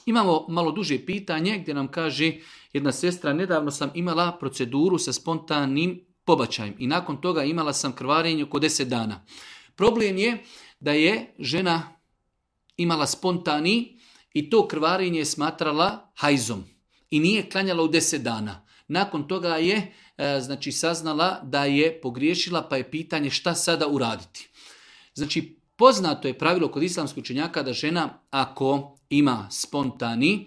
Imamo malo duže pitanje gdje nam kaže jedna sestra, nedavno sam imala proceduru sa spontanim pobačajem i nakon toga imala sam krvarenje oko 10 dana. Problem je da je žena imala spontani i to krvarenje je smatrala hajzom i nije klanjala u 10 dana. Nakon toga je saznala da je pogriješila, pa je pitanje šta sada uraditi. Znači, poznato je pravilo kod islamskih učenjaka da žena ako ima spontani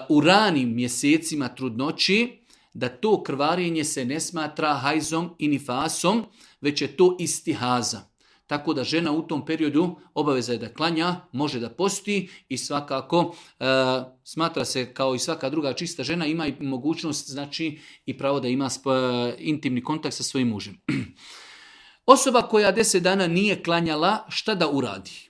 u ranim mjesecima trudnoći, da to krvarenje se ne smatra hajzom i nifasom, već je to istihaza. Tako da žena u tom periodu obaveza je da klanja, može da posti i svakako smatra se kao i svaka druga čista žena, ima i mogućnost, znači i pravo da ima intimni kontakt sa svojim mužem. Osoba koja 10 dana nije klanjala, šta da uradi?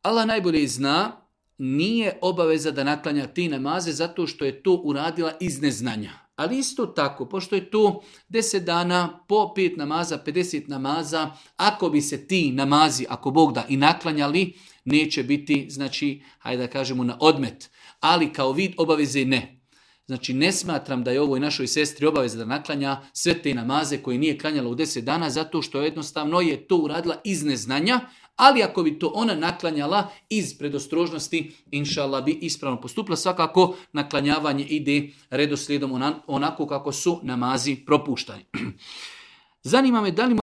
Allah najbolje zna, nije obaveza da naklanja te namaze zato što je to uradila iz neznanja. Ali isto tako, pošto je to 10 dana, po 5 namaza, 50 namaza, ako bi se ti namazi, ako Bog da, i naklanjali, neće biti, znači, hajde da kažemo, na odmet. Ali kao vid obaveze ne. Znači, ne smatram da je ovoj našoj sestri obaveza da naklanja sve te namaze koje nije klanjala u 10 dana, zato što jednostavno je to uradila iz neznanja, ali ako bi to ona naklanjala iz predostrožnosti, inšallah bi ispravno postupila. Svakako naklanjavanje ide redoslijedom onako kako su namazi propuštani. Zanima me da li